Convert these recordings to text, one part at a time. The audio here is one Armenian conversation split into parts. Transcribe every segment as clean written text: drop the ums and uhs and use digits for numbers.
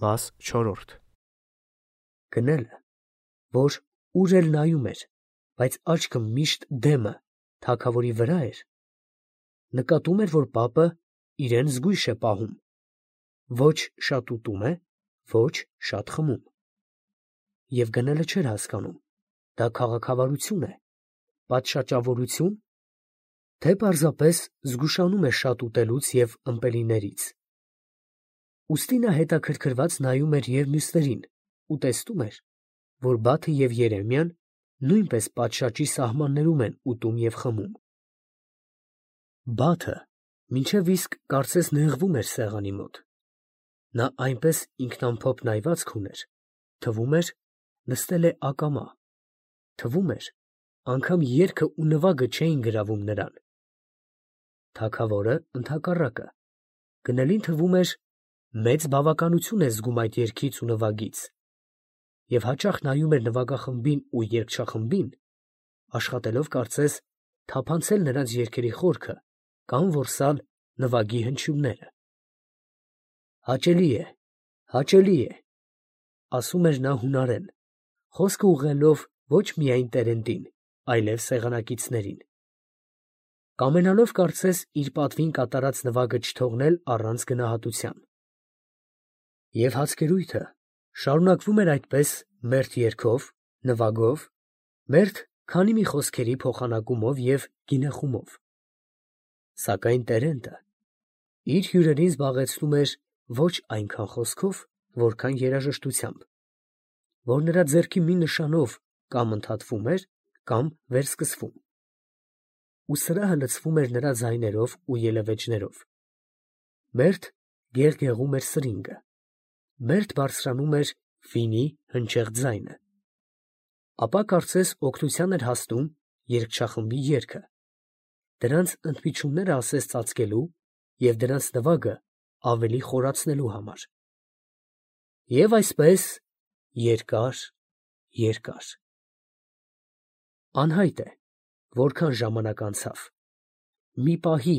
Մաս 4 Գնելը, որ ուր էլ նայում էր, բայց աչքը միշտ դեմը թագավորի վրա էր, նկատում էր, որ պապը իրեն զգույշ է պահում, ոչ շատ ուտում է, ոչ շատ խմում, և գնելը չէր հասկանում, դա քաղաքավարություն է, պատշաճավորություն, թե պարզապես զգուշանում է շատ ուտելուց և ըմպելիներից. ուստի նա հետաքրքրված նայում էր և մյուսներին ու տեսնում էր, որ Բաթը և Երեմիան նույնպես պատշաճի սահմաններում են ուտում և խմում։ Բաթը մինչև իսկ կարծես նեղվում էր սեղանի մոտ. նա այնպես ինքնամփոփ նայվածք ուներ, թվում էր նստել է ակամա, թվում էր անգամ երգը ու նվագը չէին գրավում նրան։ Թագավորը ընդհակառակը, գնելին թվում էր մեծ բավականություն է զգում այդ երգից ու նվագից, և հաճախ նայում էր նվագախմբին ու երգչախմբին, աշխատելով կարծես թափանցել նրանց երգերի խորքը կամ որսալ նվագի հնչյունները։ Հաճելի է, ասում էր նա հունարեն, խոսքը ուղղելով ոչ միայն տերերին, այլև սեղանակիցներին, կամենալով կարծես իր պատվին կատարած նվագը չթողնել առանց գնահատության։ Եվ հացկերույթը շարունակվում էր այդպես մերթ երգով, նվագով, մերթ քանի մի խոսքերի փոխանակումով և գինեխումով։ Սակայն տերենտը իր հյուրերին զբաղեցնում էր ոչ այնքան խոսքով, որքան երաժշտությամբ, որ նրա ձեռքի մի նշանով կամ ընդհատվում էր, կամ վերսկսվում, ու սրահը լցվում էր նրա ձայներով ու ելևէջներով։ Մերթ գեղգեղում էր սրինգը, մերթ բարձրանում էր վինի հնչեղ ձայնը, ապա կարծես օգնության էր հասնում երգչախմբի երգը, դրանց ընդմիջումները ասես ծածկելու և դրանց նվագը ավելի խորացնելու համար։ Եվ այսպես երկար։ Անհայտ է, որքան ժամանակ անցավ։ Մի պահի,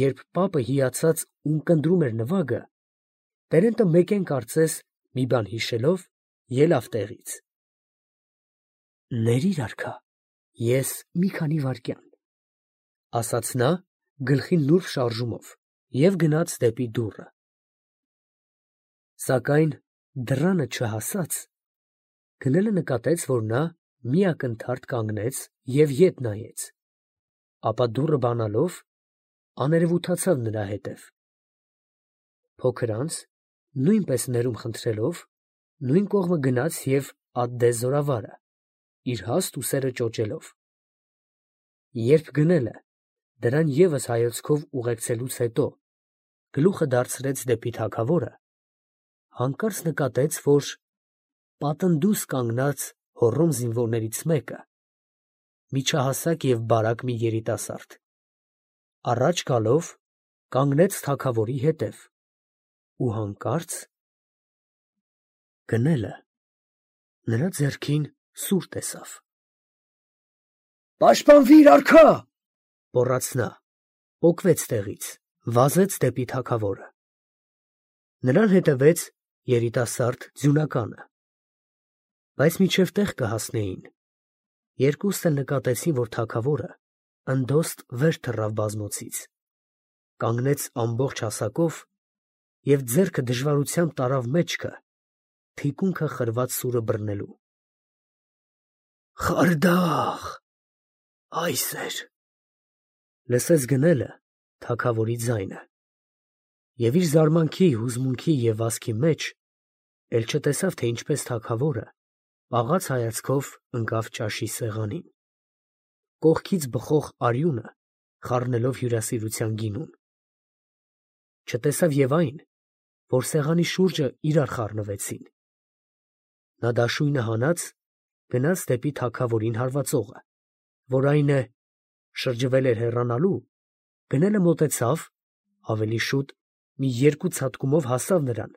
երբ պապը հիացած ունկնդրում էր նվագը, տերենտը մեկեն կարծես մի բան հիշելով, ելավ տեղից։ «Ներիր, արքա, ես մի քանի վայրկյան», ֊ ասաց նա գլխին նուրբ շարժումով և գնաց դեպի դուռը։ Սակայն դռանը չհասած, գնելը նկատեց, որ նա մի ակնթարթ կանգնեց և ետ նայեց, ապա դուռը բանալով աներևութացավ նրա հետև։ Փոքր անց, նույնպես ներում խնդրելով, նույն կողմը գնաց և ադդեց զորավարը, իր հաստ ուսերը ճոճելով։ Երբ գնելը դրան ևս հայացքով ուղեկցելուց հետո գլուխը դարձրեց դեպի թագավորը, հանկարծ նկատեց, որ պատնդուս կանգնած հոռոմ զինվորներից մեկը, միջահասակ և բարակ մի երիտասարդ, առաջ գալով կանգնեց թագավորի հետև ու հանկարծ գնելը նրա ձեռքին սուր տեսավ։ «Պաշտպանվի՛ր, արքա», ֊ գոռաց նա, պոկվեց տեղից, վազեց դեպի թագավորը։ Նրան հետևեց երիտասարդ ձյունականը, բայց մինչև տեղ կհասնեին, երկուսն էլ նկատեցին, որ թագավորը ընդոստ վեր թռավ բազմոցից, կանգնեց ամբողջ հասակով և ձեռքը դժվարությամբ տարավ մեջքը, թիկունքը խրված սուրը բռնելու։ «Խարդախ, այս էր», ֊ լսեց գնելը թագավորի ձայնը, և իր զարմանքի, հուզմունքի և վազքի մեջ էլ չտեսավ, թե ինչպես թագավորը պաղած հայացքով ընկավ ճաշի սեղանին, կողքից բխող արյունը խառնելով հյուրասիրության գինուն։ Չտեսավ և այն, որ սեղանի շուրջը իրար խառնվեցին։ Նա դաշույնը հանած գնաց դեպի թագավորին հարվածողը, որ այն է, շրջվել էր հեռանալու, գնելը մոտեցավ, ավելի շուտ մի երկու ցատկումով հասավ նրան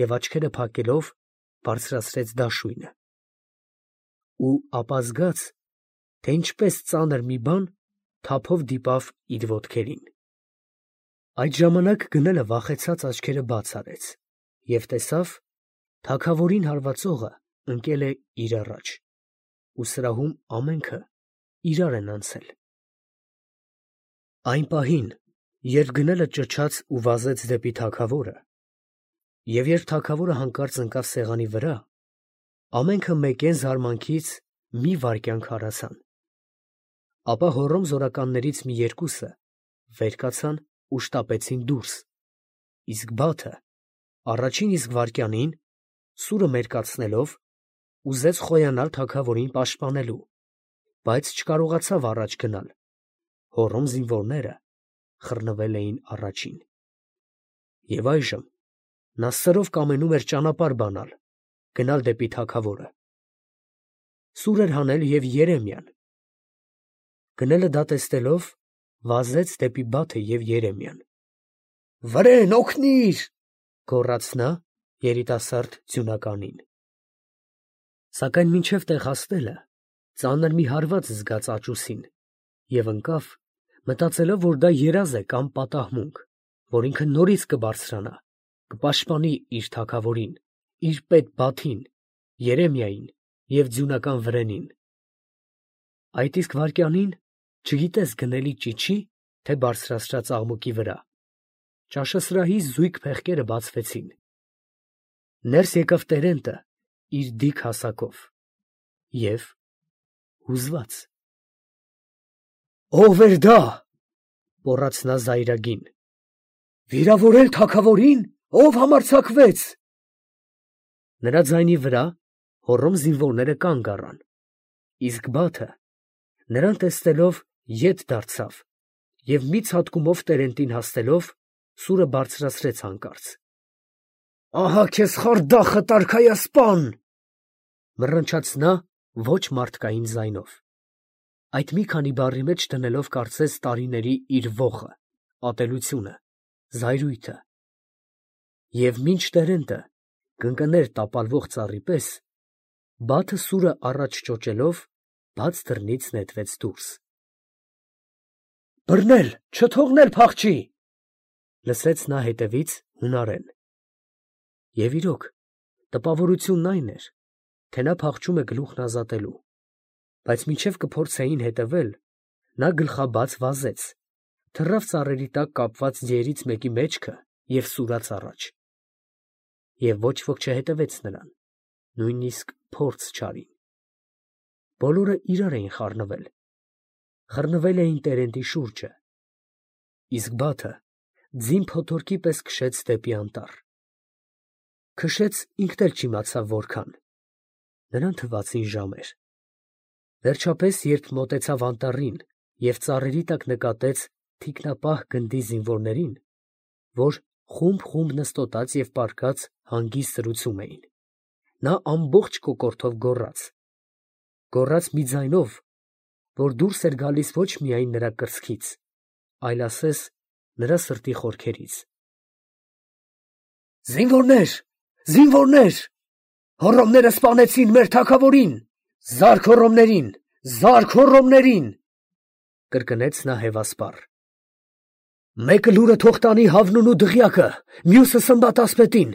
և աչքերը փակելով բարձրացրեց դաշույնը։ Ու ապա զգաց, թե ինչպես ծանր մի բան թափով դիպավ իր ոտքերին։ Այդ ժամանակ գնելը վախեցած աչքերը բաց արեց, և տեսավ, թագավորին հարվածողը ընկել է իր առաջ, ու սրահում ամենքը իրար են անցել։ Այն պահին, երբ գնելը ճչաց ու վազեց դեպի թագավորը, և երբ թագավորը հանկարծ ընկավ սեղանի վրա, ամենքը մեկեն զարմանքից մի վայրկյան քարացան։ Ապա հոռոմ զորականներից մի երկուսը վեր կացան ու շտապեցին դուրս, իսկ Բաթը առաջին իսկ վայրկյանին, սուրը մերկացնելով, ուզեց խոյանալ թագավորին պաշտպանելու, բայց չկարողացավ առաջ գնալ. հոռոմ զինվորները խռնվել էին առաջին։ Եվ այժմ նա սրով կամենում էր ճանապարհ բանալ, գնալ դեպի թագավորը։ Սուր էր հանել և Երեմիան։ Գնելը դա տեսնելով, վազեց դեպի Բաթը և Երեմիան։ «Վրեն, օգնի՛ր», գոռաց նա երիտասարդ ձյունականին։ Սակայն մինչև տեղ հասնելը ծանր մի հարված զգաց աճուսին և ընկավ, մտածելով, որ դա երազ է կամ պատահմունք, որ ինքը նորից կբարձրանա, կպաշտպանի իր թագավորին, իր պետ Բաթին, Երեմիային և ձյունական վրենին։ Այդ իսկ վայրկյանին, չգիտես գնելի ճիչի, թե բարձրացրած աղմուկի վրա, ճաշասրահի զույգ փեղկերը բացվեցին։ Ներս եկավ տերենտը իր դիք հասակով և հուզված։ «Ո՞վ էր դա», գոռաց նա զայրագին։ «Վիրավորել թագավորին, ով համարձակվեց»։ Նրա ձայնի վրա հոռոմ զինվորները կանգ առան, իսկ Բաթը նրան տեսնելով ետ դարձավ և մի ցատկումով տերենտին հասնելով, սուրը բարձրացրեց հանկարծ։ «Ահա քեզ խարդախդ, արքայասպան», մռնչաց նա ոչ մարդկային ձայնով, այդ մի քանի բառի մեջ դնելով կարծես տարիների իր ոխը, ատելությունը, զայրույթը։ Եվ մինչ տերենտը կընկներ տապալվող ծառի պես, Բաթը սուրը առաջ ճոճելով, բաց դռնից նետվեց դուրս։ «Բռնել, չթողնել փախչի», լսեց նա հետևից հունարեն։ Եվ իրոք, տպավորությունն այն էր, թե նա փախչում է գլուխն ազատելու, բայց մինչև կփորձեին հետևել, նա գլխաբաց վազեց, թռավ ծառերի տակ կապված ձիերից մեկի մեջքը և սուրաց առաջ։ Եվ ոչ ոք չհետևեց նրան, նույնիսկ փորձ չարին։ Բոլորը իրար էին խառնվել էին տերենտի շուրջը, իսկ Բաթը ձին փոթորկի պես քշեց դեպի անտառ։ Քշեց, ինքն էլ չիմացավ որքան, նրան թվացին ժամեր։ Վերջապես, երբ մոտեցավ անտառին և ծառերի տակ նկատեց թիկնապահ գնդի զինվորներին, որ խումբ նստոտած և պառկած հանգիստ զրուցում էին, նա ամբողջ կոկորդով գոռաց մի ձայնով, որ դուրս էր գալիս ոչ միայն նրա կրծքից, այլ ասես նրա սրտի խորքերից. «Զինվորնե՛ր, զինվորնե՛ր, հոռոմները սպանեցին մեր թագավորին, զա՛րք հոռոմներին, զա՛րք հոռոմներին», կրկնեց նա հևասպառ։ «Մեկը լուրը թող տանի Հավնուն ու Դղյակը, մյուսը Սմբատ ասպետին,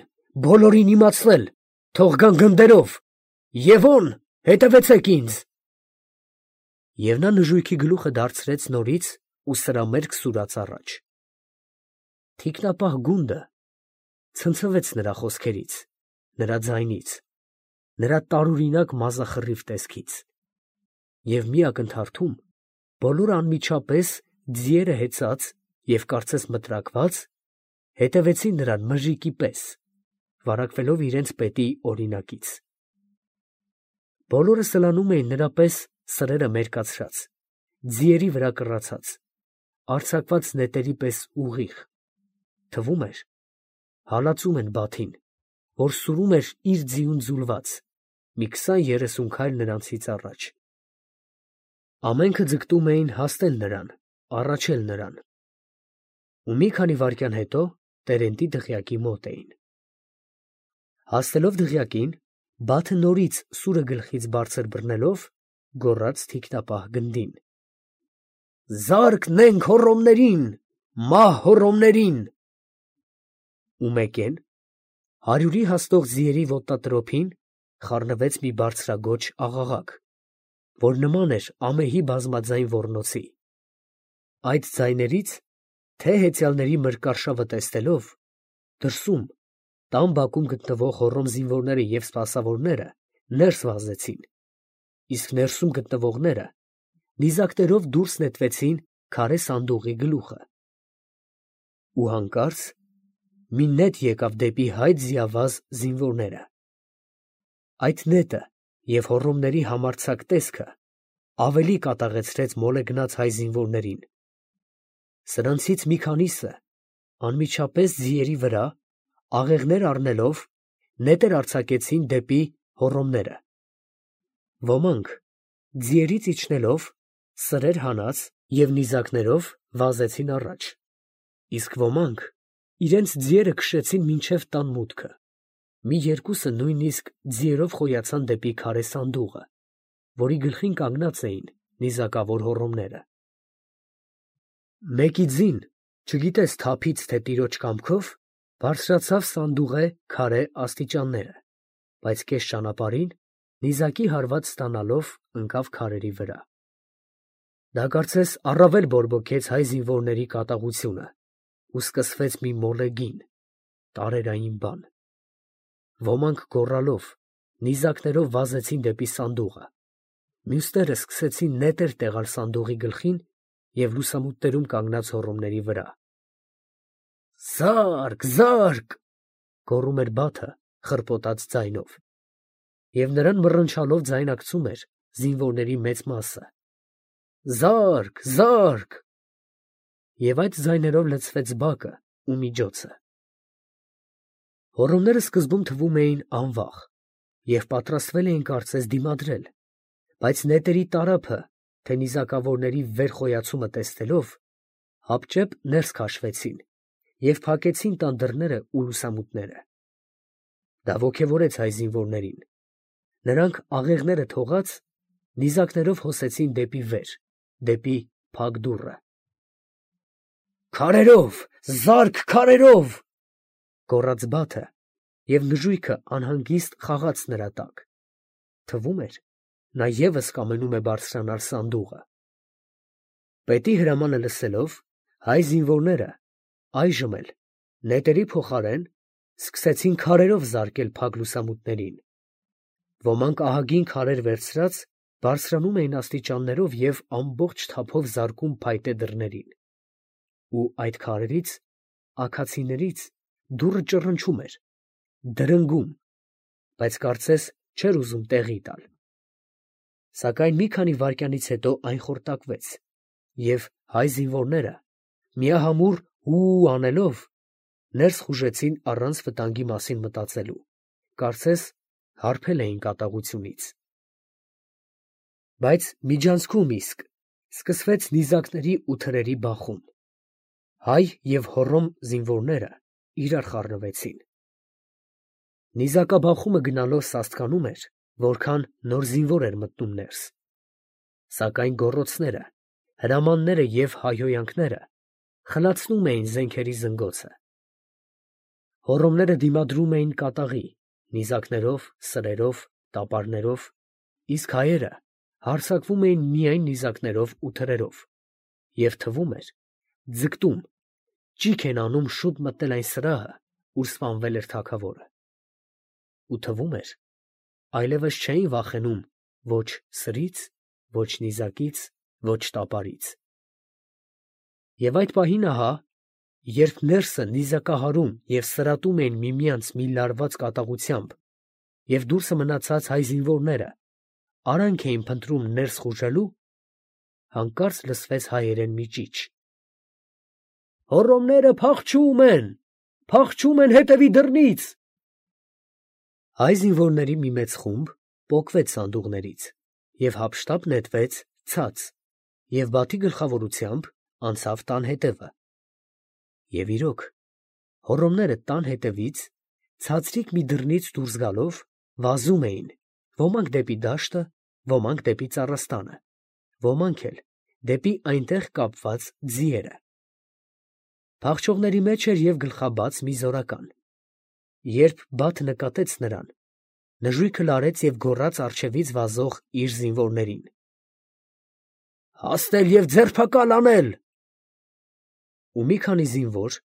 բոլորին իմացնել, թող գան գնդերով, Եվոն, հետևեցեք ինձ»։ Եվ նա նժույգի գլուխը դարձրեց նորից ու սրամերկ սուրաց առաջ։ Թիկնապահ գունդը ցնցվեց նրա խոսքերից, նրա ձայնից, նրա տարօրինակ մազախռիվ տեսքից։ Եվ մի ակնթարթում բոլորը անմիջապես ձիերը հեծած և կարծես մտրակված հետևեցին նրան մժիկի պես, վարակվելով իրենց պետի օրինակից։ Բոլորը սլանում էին նրա պես սրերը մերկացրած, ձիերի վրա կռացած, արձակված նետերի պես ուղիղ, թվում էր, հալածում են Բաթին, որ սուրում էր իր ձիուն ձուլված, մի 20-30 քայլ նրանցից առաջ։ Ամենքը ձգտում էին հասնել նրան, առաջել նրան։ Ու մի քանի վայրկյան հետո տերենտի դղյակի մոտ էին։ Հասնելով դղյակին, Բաթը նորից սուրը գլխից բարձր բռնելով, գոռաց թիկնապահ գնդին. «Զա՛րք նենք հոռոմներին, մահ հոռոմներին»։ Ու մեկեն, Հարյուրի հաստող ձիերի ոտատրոփին խառնվեց մի բարձրագոչ աղաղակ, որ նման էր ամեհի բազմաձայն ոռնոցի. այդ ձայներից, թե հեծյալների մրկարշավը տեսնելով, դրսում, տան բակում գտնվող հոռոմ զինվորները և սպասավորները ներս վազեցին, իսկ ներսում գտնվողները նիզակներով դուրս նետվեցին քարե սանդուղի գլուխը։ Ու հանկարծ մի նետ եկավ դեպի հայ ձիավազ զինվորները։ Այդ նետը և հոռոմների համարձակ տեսքը ավելի կատաղեցրեց մոլեգնած հայ զինվորներին։ Սրանցից մի քանիսը անմիջապես ձիերի վրա աղեղներ առնելով նետեր արձակեցին դեպի հոռոմները։ Ոմանք ձիերից իջնելով սրեր հանած և նիզակներով վազեցին առաջ, իսկ ոմանք իրենց ձիերը քշեցին մինչև տան մուտքը, մի երկուսը նույնիսկ ձիերով խոյացան դեպի քարե սանդուղը, որի գլխին կանգնած էին նիզակավոր հոռոմները։ Մեկի ձին, չգիտես թափից թե տիրոջ կամքով, բարձրացավ սանդուղե քարե աստիճանները, բայց կես ճանապարհին, նիզակի հարված ստանալով, ընկավ քարերի վրա։ Դա կարծես առավել բորբոքեց հայ զինվորների կատաղությունը ու սկսվեց մի մոլեգին, տարերային բան։ Ոմանք գոռալով, նիզակներով վազեցին դեպի սանդուղը, մյուսները սկսեցին նետեր տեղալ սանդուղի գլխին և լուսամուտներում կանգնած հոռոմների վրա։ «Զա՛րք, զա՛րք» գոռում էր Բաթը խռպոտած ձայնով, և նրան մռնչալով ձայնակցում էր զինվորների մեծ մասը։ «Զա՛րք, զա՛րք» և այդ ձայներով լցվեց բակը ու միջոցը։ Հոռոմները սկզբում թվում էին անվախ և պատրաստվել էին կարծես դիմադրել, բայց նետերի տարափը, թե նիզակավորների վեր խոյացումը տեսնելով, հապճեպ ներս քաշվեցին և փակեցին տան դռները ու լուսամուտները։ Դա ոգևորեց հայ զինվորներին. նրանք աղեղները թողած, նիզակներով հոսեցին դեպի վեր, դեպի փակ դուռը։ «Քարերով, զա՛րք, քարերով» գոռաց Բաթը, և նժույգը անհանգիստ խաղաց նրա տակ։ Թվում էր, նա ևս կամենում է բարձրանալ սանդուղը։ Պետի հրամանը լսելով, հայ զինվորները այժմ էլ նետերի փոխարեն սկսեցին քարերով զարկել փակ լուսամուտներին։ Ոմանք ահագին քարեր վերցրած բարձրանում էին աստիճաններով և ամբողջ թափով զարկում փայտե դռներին։ Ու այդ քարերից, աքացիներից դուռը ճռնչում էր, դրնգում, բայց կարծես չէր ուզում տեղի տալ։ Սակայն մի քանի վայրկյանից հետո այն խորտակվեց, և հայ զինվորները միահամուռ հու անելով ներս խուժեցին առանց վտանգի մասին մտածելու, կարծես հարբել էին կատաղությունից։ Բայց միջանցքում իսկ սկսվեց նիզակների ու թրերի բախում։ Հայ և հոռոմ զինվորները իրար խառնվեցին։ Նիզակաբախումը գնալով սաստկանում էր, որքան նոր զինվոր էր մտնում ներս։ Սակայն գոռոցները, հրամանները և հայհոյանքները խլացնում էին զենքերի զնգոցը։ Հոռոմները դիմադրում էին կատաղի, նիզակներով, սրերով, տապարներով, իսկ հայերը հարձակվում էին միայն նիզակներով ու թրերով, և թվում էր, ձգտում, ճիգ են անում շուտ մտնել այն սրահը, ուր սպանվել էր թագավորը։ Ու թվում էր, այլևս չէին վախենում ոչ սրից, ոչ նիզակից, ոչ տապարից։ Եվ այդ պահին ահա, երբ ներսը նիզակահարում և սրատում էին միմյանց մի լարված կատաղությամբ, և դուրսը մնացած հայ զինվորները արանք էին փնտրում ներս խուժելու, հանկարծ լսվեց հայերեն մի ճիչ. «Հոռոմները փախչում են հետևի դռնից»։ Հայ զինվորների մի մեծ խումբ պոկվեց սանդուղներից և հափշտապ նետվեց ցած և Բաթի գլխավորությամբ անցավ տան հետևը։ Եվ իրոք, հոռոմները տան հետևից ցածրիկ մի դռնից դուրս գալով վազում էին, ոմանք դեպի դաշտը, ոմանք դեպի ծառաստանը, ոմանք էլ դեպի այնտեղ կապված ձիերը։ Փախչողների մեջ էր և գլխաբաց մի զորական։ Երբ Բաթը նկատեց նրան, նժույգը լարեց և գոռաց առջևից վազող իր զինվորներին. «Հասնել և ձերբակալ անել»։ Ու մի քանի զինվոր,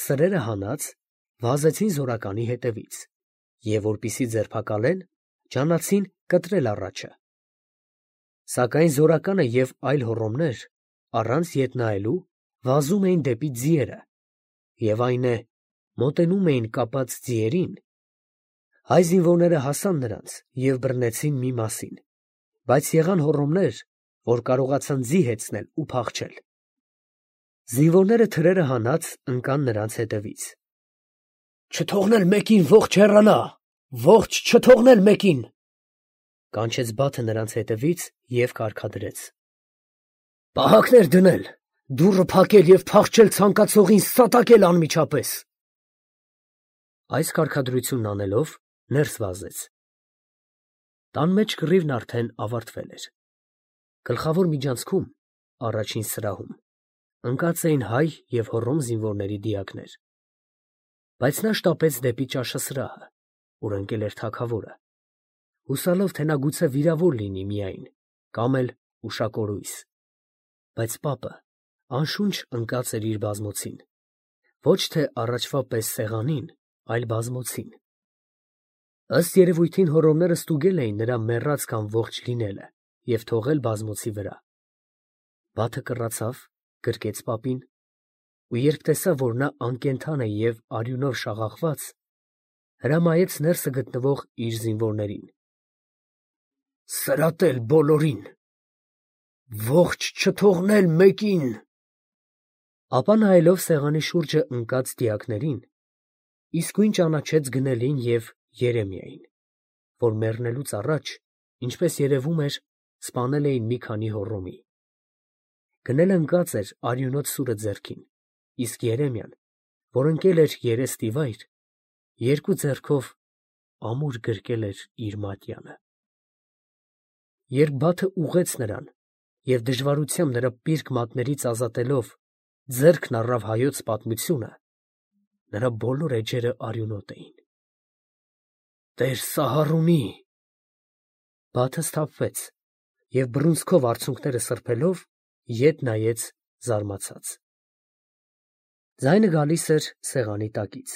սրերը հանած, վազեցին զորականի հետևից և, որպեսզի ձերբակալեն, ջանացին կտրել առաջը։ Սակայն զորականը և այլ հոռոմներ, առանց ետ նայելու, վազում էին դեպի ձիերը, և այն է, մոտենում էին կապած ձիերին, հայ զինվորները հասան նրանց և բռնեցին մի մասին, բայց եղան հոռոմներ, որ կարողացան ձի հեծնել ու փախչել։ Զինվորները թրերը հանած ընկան նրանց հետևից։ «Չթողնել մեկին ողջ հեռանա, ողջ չթողնել մեկին», կանչեց Բաթը նրանց հետևից և կարգադրեց. «Պահակներ դնել, դուռը փակել և փախչել ցանկացողին սատակել անմիջապես»։ Այս կարգադրությունն անելով, ներս վազեց։ Տան մեջ կռիվն արդեն ավարտվել էր։ Գլխավոր միջանցքում, առաջին սրահում, ընկած էին հայ և հոռոմ զինվորների դիակներ, բայց նա շտապեց դեպի ճաշասրահը, ուր ընկել էր թագավորը, հուսալով, թե նա գուցե վիրավոր լինի միայն, կամ էլ ուշակորույս, բայց պապը անշունչ ընկած էր իր բազմոցին, ոչ թե առաջվա պես սեղանին, այլ բազմոցին։ Ըստ երևույթին հոռոմները ստուգել էին նրա մեռած կամ ողջ լինելը և թողել բազմոցի վրա։ Բաթը կռացավ, գրկեց պապին, ու երբ տեսավ, որ նա անկենդան է և արյունով շաղախված, հրամայեց ներսը գտնվող իր զինվորներին. «Սրատել բոլորին, ողջ չթողնել մեկին»։ Ապա նայելով սեղանի շուրջը ընկած դիակներին, իսկույն ճանաչեց գնելին և Երեմիային, որ մեռնելուց առաջ, ինչպես երևում էր, սպանել էին մի քանի հոռոմի։ Գնելը ընկած էր արյունոտ սուրը ձեռքին, իսկ Երեմիան, որ ընկել էր երեստիվայր, երկու ձեռքով ամուր գրկել էր իր մատյանը։ Երբ Բաթը ուղղեց նրան և դժվարությամբ նրա պիրկ մատներից ազատելով, ձեռքն առավ հայոց պատմությունը, նրա բոլոր էջերը արյունոտ էին։ «Տեր Սահարունի…» Բաթը սթափվեց և բռունցքով արցունքները սրբելով, ետ նայեց զարմացած։ Ձայնը գալիս էր սեղանի տակից։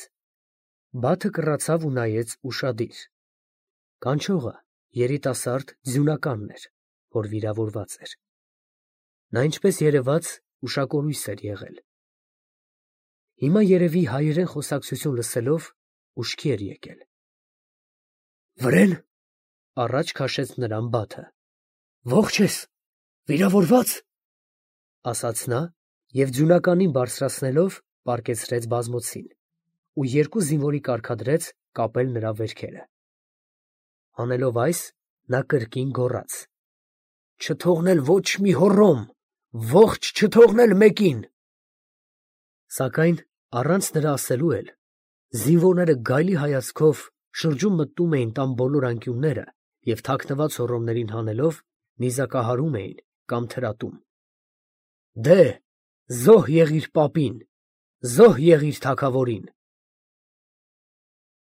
Բաթը կռացավ ու նայեց ուշադիր։ Կանչողը երիտասարդ ձյունականն էր, որ վիրավորված էր։ Նա, ինչպես երևաց, ուշակորույս էր եղել։ Հիմա երևի հայերեն խոսակցություն լսելով, ուշքի էր եկել։ «Վրե՞ն», առաջ քաշեց նրան Բաթը։ «Ողջ ես, վիրավորվա՞ծ», ասաց նա և ձյունականին բարձրացնելով, պառկեցրեց բազմոցին ու երկու զինվորի կարգադրեց կապել նրա վերքերը։ Անելով այս, նա կրկին գոռաց. «Չթողնել ոչ մի հոռոմ, ողջ չթողնել մեկին»։ Սակայն առանց նրա ասելու էլ, զինվորները գայլի հայացքով շրջում մտնում էին տան բոլոր անկյունները և թաքնված հոռոմներին հանելով, նիզակահարում էին կամ թրատում։ «Դե, զոհ եղիր պապին, զոհ եղիր թագավորին»։